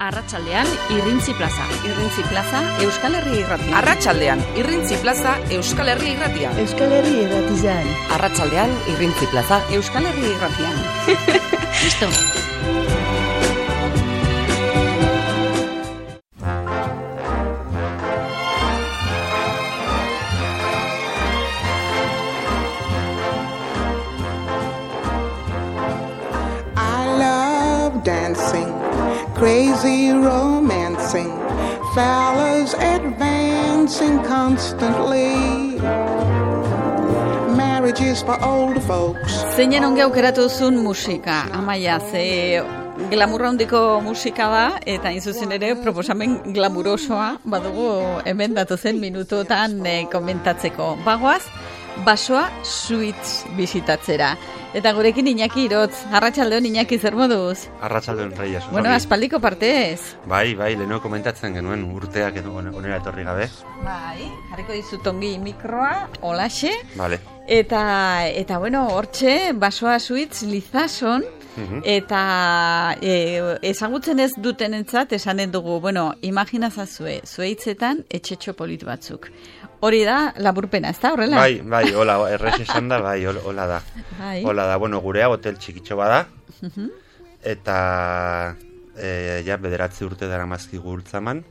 Arratsaldean Irrintzi Plaza. Irrintzi Plaza Euskal Herria Irratia. Arratsaldean Irrintzi Plaza Euskal Herria Irratia. Euskal Herria Irratian. Arratsaldean Irrintzi Plaza Euskal Herria Irratian. Listo. Crazy romancing, fellas advancing constantly. Marriage is for old folks. Zeinen onge aukeratu zuen musika, Amaia, ze glamurra handiko musika da, eta inzuzen ere proposamen glamurosoa badugu hemen datozen minutuetan komentatzeko. Bagoaz, Basoa Suites bisitatzera. Eta gurekin Iñaki Irotz. Arratsaldeon Iñaki, zer moduz? Arratsaldeon Reyes. Bueno, aspaldiko partez. Bai, leheno komentatzen genuen urteak edo onera etorri gabe. Bai, jarriko dizut ongi mikroa, holaxe. Vale. Eta bueno, hortxe, Basoa Suites Lizason, eta ezagutzen ez dutenentzat esanen dugu, bueno, imaginazazue, zueitzetan etxetxo polit batzuk. Hori da, laburpena, ez da, horrela? Bai, hola, errez esan da, hola da. Bai. Hola da, bueno, gurea hotel txikitxo bada, eta ja bederatzi urte dara mazki gurtzaman,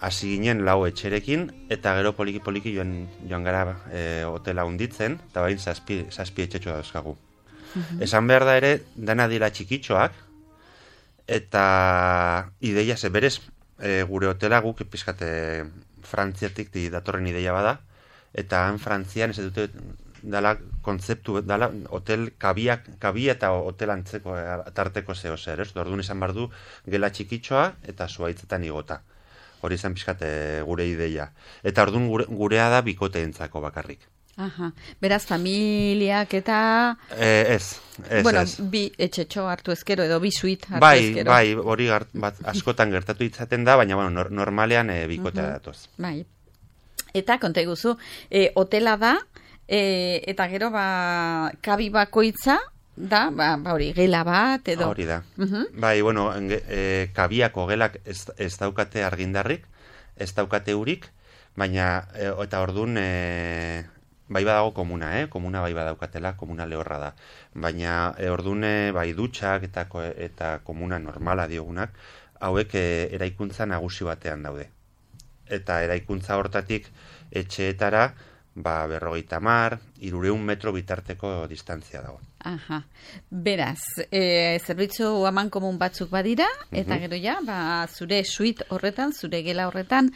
hasi ginen lau etxerekin, eta gero poliki joan gara hotela hunditzen, eta bain zazpi etxetxo dauzkagu. Esan behar da ere, dana dira txikitxoak, eta ideia ze berez gure hotela guk pizkate Frantziatik datorren ideia bada, eta han Frantzian ez dute dala kontzeptu, dala hotel kabia eta hotel antzeko tarteko zeo zer, ez? Orduan izan behar du gela txikitxoa eta zuaitzetan igota. Hori izan pixkate gure ideia. Eta orduan gurea da bikoteentzako bakarrik. Aha, beraz familiak eta... Ez. Bueno, bi etxetxo hartu ezkero edo bi suite hartu ezkero. Bai, hori askotan gertatu itzaten da, baina bueno, normalean bikotea datoz. Bai. Eta konta iguzu, hotela da, eta gero kabi bakoitza da, hori, gela bat edo... Hori da. Bai, bueno, kabiako gelak ez daukate argindarrik, ez daukate urik, baina, eta orduan... Bai badago komuna, komuna bai badaukatela, komuna lehorra da. Baina ordune bai dutxak eta komuna normala diogunak, hauek eraikuntza nagusi batean daude. Eta eraikuntza hortatik etxeetara, 50, 300 metro bitarteko distantzia dago. Aha. Beraz, zerbitzu aman komun batzuk badira, eta gero ja, zure suite horretan, zure gela horretan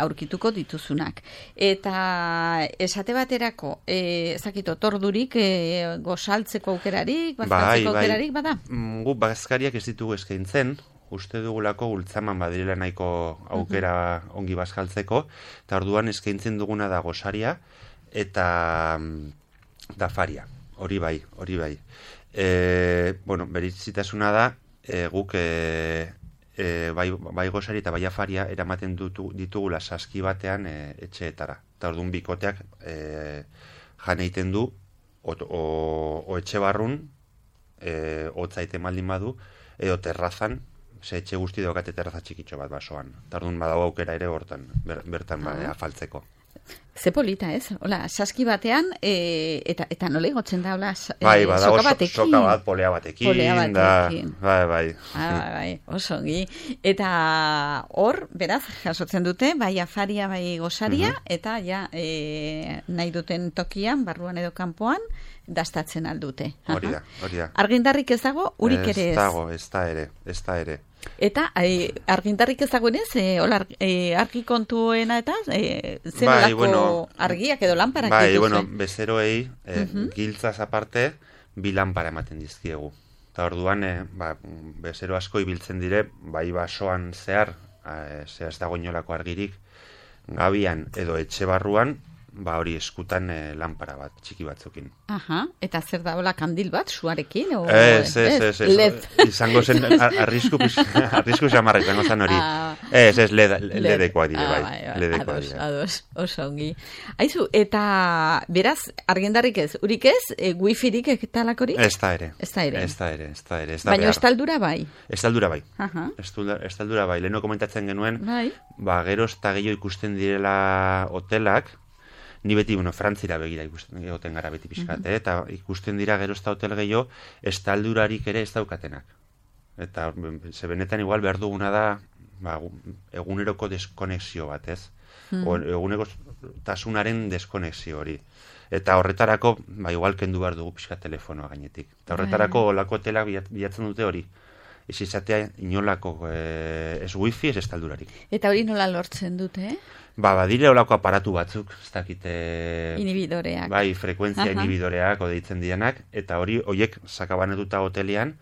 aurkituko dituzunak. Eta esate baterako, ezakito, tordurik, gozaltzeko aukerarik, bazkaltzeko aukerarik, bada? Gu bazkariak ez ditugu eskaintzen, uste dugulako gultzaman badirela nahiko aukera ongi bazkaltzeko, eta orduan eskaintzen duguna da gozaria eta dafaria. Hori bai. Bueno, berezitasuna da, guk bai gozari eta bai afaria eramaten ditugula saski batean etxeetara. Eta orduan bikoteak jan egiten du, o etxe barrun, hotzaite maldin badu, edo terrazan, ze etxe guzti daukate terraza txikitxo bat basoan. Eta orduan badago aukera ere bertan afaltzeko. Ze polita, ez? Hola, saski batean, eta nola igotzen da, hola, soka batekin. Soka bat, polea batekin. Bai. Osongi. Eta hor, beraz, jasotzen dute, bai afaria, bai gozaria, eta ja, nahi duten tokian, barruan edo kanpoan, dastatzen aldute. Hori da. Argindarrik ez dago, urik ere ez? Ez da ere. Eta argindarrik ez dagoenez, argi kontuena eta zenolako argiak edo lamparak dituzue? Bai, bueno, bezeroei giltzaz aparte, 2 lampara ematen dizkiegu. Eta orduan, bezero asko ibiltzen dire, bai basoan zehar ez dago inolako argirik, gabian edo etxe barruan, hori eskutan lampara bat, txiki batzukin. Aha, eta zer da, hola, kandil bat, suarekin? Ez. Izango zen, arrisku xamarra izango zen hori. Ez, ledekoa dire, bai. Ledekoa dire. Ados, oso ongi. Aizu, eta beraz, argindarrik ez, urik ez, wifirik ekitalakorik? Ez da ere. Ez da ere. Ez da ere. Baina estaldura bai? Estaldura bai. Aha. Estaldura bai. Leheno komentatzen genuen, Bai. Geroz eta gehiago ikusten direla hotelak, ni beti, Frantzira begira ikusten egoten gara beti pixkat, eta ikusten dira geroz eta hotel gehiago, estaldurarik ere ez daukatenak. Eta ze benetan igual behar duguna da eguneroko deskonexio bat, ez? Eguneko tasunaren deskonexio hori. Eta horretarako, igual kendu behar dugu pixka telefonoa gainetik. Eta horretarako olako hotelak bilatzen dute hori. Ez izatea inolako ez wifi, ez estaldurarik. Eta hori nola lortzen dute, Badire olako aparatu batzuk, ez dakite... Inhibidoreak. Bai, frekuentzia inhibidoreak, deitzen dianak, eta horiek sakabanetuta hotelean,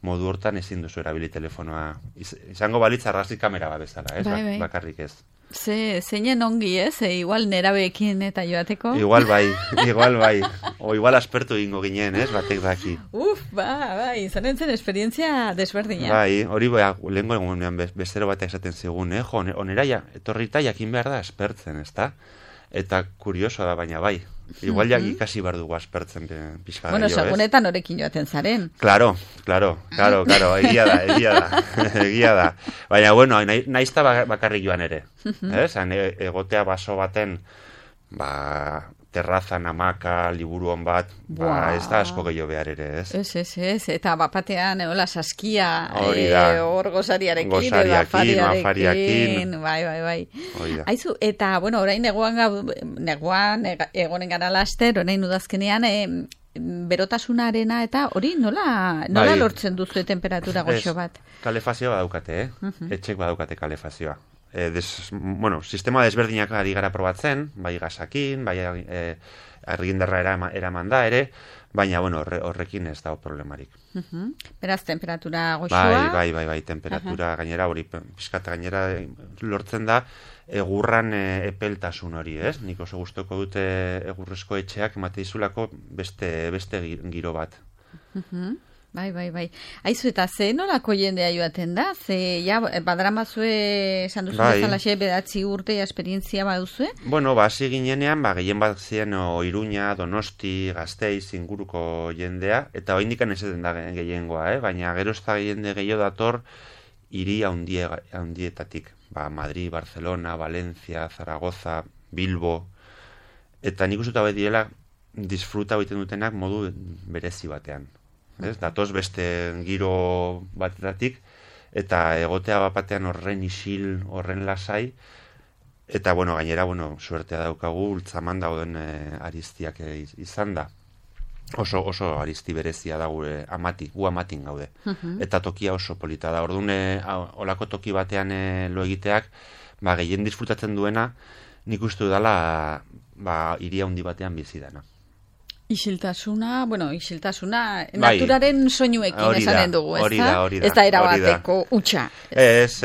modu hortan ezin duzu erabili telefonoa. Izango balitz argazki kamera bat bezala, ez? Bai. Bakarrik ez. Zeinen ongi, ez? Igual nerabeekin eta joateko. Igual bai. O igual aspertu egingo ginen, ez? Batek daki. Bai, izan zen esperientzia desberdina. Bai, hori lehengo egunean bestero batek esaten zigun, onera etorrita jakin behar da aspertzen, ez da? Eta kurioso da, baina bai. Igual ikasi behar dugu aspertzen pixka Bueno, segunetan horekin joaten zaren. Claro, egia da. Baina, bueno, naizta bakarrik joan ere. Egotea baso baten, terrazan, amaka, liburu hon bat, ez da asko gehiago behar ere, ez? Ez, eta bapatean, hola, saskia, hor gozariarekin, afariarekin, bai. Aizu, eta, bueno, orain neguan egonen gara laster, orain udazkenean, berotasunarena eta hori nola lortzen duzu temperatura goxo bat? Kalefazioa badaukate, etxek badaukate kalefazioa. Sistema desberdinak ari gara probatzen, bai gasakin, bai argindarra eraman da ere, baina horrekin ez dago problemarik. Beraz, temperatura goxoa? Bai, temperatura gainera hori, pixkat gainera lortzen da, egurran epeltasun hori, ez? Nik oso gustoko dute egurrezko etxeak emate dizulako beste giro bat. Bai. Aizu, eta ze nolako jendea joaten da? Ze, badramazue, esan duzu bezalaxe, 9 urte esperientzia baduzue? Bueno, hasi ginenean, gehien bat ziren Iruña, Donosti, Gasteiz, inguruko jendea, eta oraindik ez da gehiengoa, baina gero ez da jende gehiago dator hiri handietatik. Madrid, Barcelona, Valencia, Zaragoza, Bilbo, eta nik uste direla disfruta egiten dutenak modu berezi batean. Datoz beste giro batetatik, eta egotea bapatean horren isil, horren lasai, eta gainera, suertea daukagu, ultzaman dauden ariztiak izan da. Oso arizti berezia da gure gu amatin gaude. Eta tokia oso polita da. Orduan, olako toki batean lo egiteak, gehien disfrutatzen duena, nik uste dela hiri handi batean bizi dana. Isiltasuna, naturaren soinuekin esanen dugu, ez da? Hori da. Ez da erabateko utxa. Ez,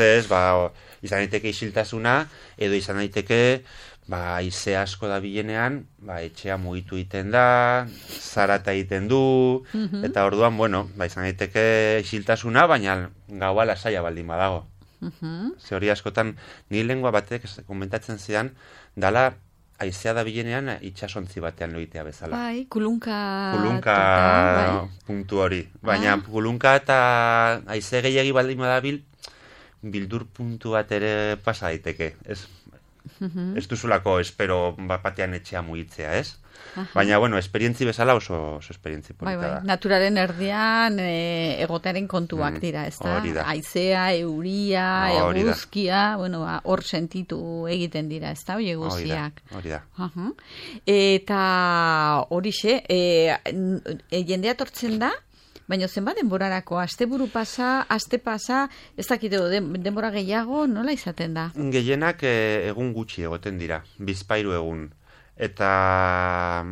izan daiteke isiltasuna, edo izan daiteke, haize asko da bilenean, etxea mugitu egiten da, zarata egiten du, eta orduan, izan daiteke isiltasuna, baina gaua lasaia baldin badago. Ze hori askotan, ni lengua batek komentatzen zidan, dala, haizea da bilenean itxasontzi batean loitea bezala. Bai, kulunka puntu hori. Baina kulunka eta haize gehiagi baldin badabil, bildur puntu bat ere pasa daiteke. Ez duzulako espero batean etxea mugitzea, ez? Baina, esperientzi bezala oso esperientzi polita da. Naturaren erdian egotearen kontuak dira, ez da? Haizea, euria, eguzkia, hor sentitu egiten dira, ez da? Oie guztiak. Hori da. Eta horixe, jendea tortzen da, baina zenbat denborarako, asteburu pasa, aste pasa, ez dakite denbora gehiago, nola izaten da? Gehienak egun gutxi egoten dira, 2 egun. Eta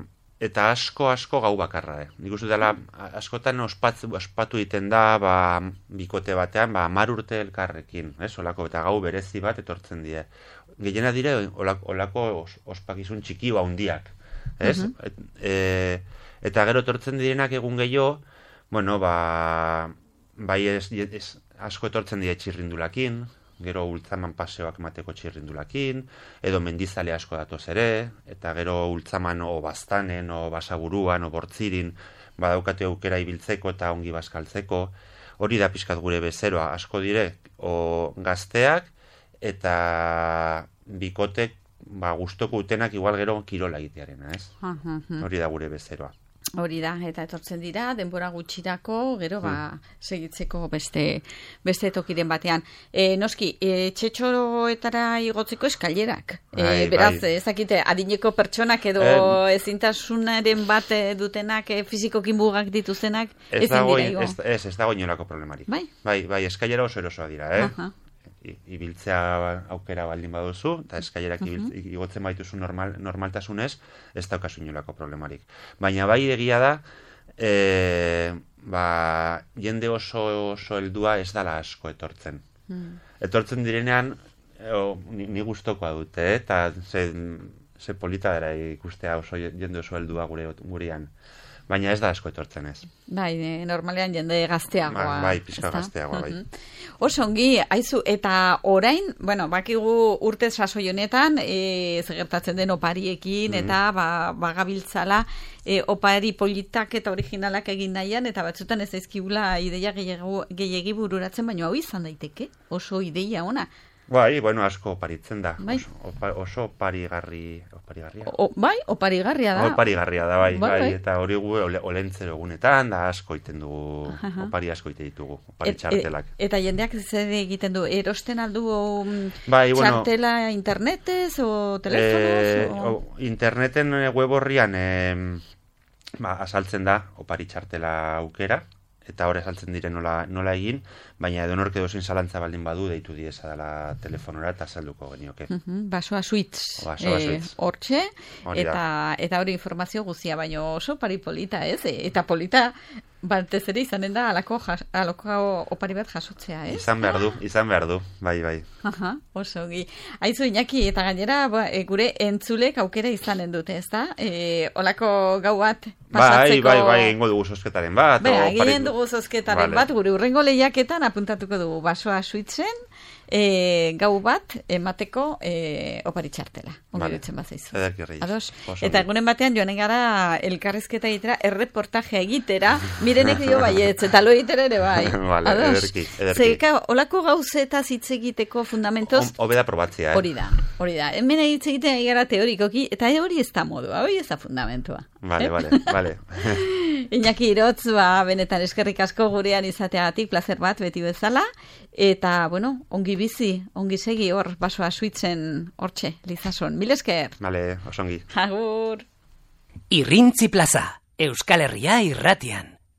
asko gau bakarra. Nik uste dela, askotan ospatu egiten da, bikote batean, 10 urte elkarrekin, olako, eta gau berezi bat etortzen die. Gehiena dire, olako ospakizun txiki handiak. Eta gero etortzen direnak egun gehiago, bai asko etortzen die txirrindulakin, gero ultzaman paseoak emateko txirrindulakin, edo mendizale asko datoz ere, eta gero ultzaman o baztanen, o basaburuan, o bortzirin, badaukate aukera ibiltzeko eta ongi bazkaltzeko, hori da pixkat gure bezeroa, asko dire, o gazteak, eta bikotek, gustoko utenak igual gero kirola egitearena, ez? Hori da gure bezeroa. Hori da, eta etortzen dira, denbora gutxirako, gero, segitzeko beste tokiren batean. Noski, txetxoroetara igotzeko eskailerak. Beraz, ezakite, adineko pertsonak edo ezintasunaren bat dutenak, fizikoki mugak dituztenak, ezin dira igo. Ez dago inolako problemarik. Bai, eskailera oso erosoa dira, ibiltzea aukera baldin baduzu, eta eskailerak igotzen baituzu normaltasunez, ez daukazu inolako problemarik. Baina bai egia da, jende oso heldua ez dala asko etortzen. Etortzen direnean, ni gustokoa dute, eta ze polita dara ikustea oso jende oso heldua gurean. Baina ez da asko etortzen ez. Bai, normalean jende gazteagoa. Bai, pixka gazteagoa, bai. Oso ongi, aizu, eta orain, bakigu urte sasoi honetan, gertatzen den opariekin, eta bagabiltzala, opari politak eta originalak egin nahian, eta batzutan ez daizkigula ideia gehiegi bururatzen, baina hau izan daiteke, oso ideia ona. Bai, asko oparitzen da. Oso oparigarria. Oparigarria da. Oparigarria da, bai. Eta hori gu olentzero egunetan, da asko iten dugu, opari asko ite ditugu, opari txartelak. Eta jendeak zer egiten du, erosten aldu txartela internetez o telefonoz? Interneten web horrian asaltzen da opari txartela aukera, eta hori azaltzen dire nola egin, baina edonork edozin zalantza baldin badu deitu dieza dela telefonora eta salduko genioke. Basoa suitz. Hortxe, eta hori informazio guzia, baina oso pari polita, ez? Eta polita batez ere izanen da alako opari bat jasotzea, ez? Izan behar du, bai. Oso gi. Aizu, Iñaki, eta gainera gure entzulek aukera izanen dute, ez da? Olako gau bat pasatzeko... Bai, egingo dugu zozketaren bat. Egin dugu zozketaren bat, gure urrengo lehiaketan apuntatuko dugu basoa suitzen, gau bat emateko opari txartela. Ongi dutzen bat zaizu. Eta egunen batean joanen gara elkarrizketa egitera, erreportajea egitera, mirenek dio baietz, eta lo egitera ere bai. Ederki. Zerika, olako gauzetaz hitz egiteko fundamentoz... Hobeda probatzea, Hori da. Hemen hitz egiten egara teorikoki, eta hori ez da modua, hori ez da fundamentua. Vale. Iñaki Irotz, benetan eskerrik asko gurean izateagatik, placer bat beti bezala, eta, ongi bizi, ongi segi hor, basoa suitzen hortxe, Lizason. Mil esker. Vale, osongi. Agur. Irrintzi plaza, Euskal Herria irratian.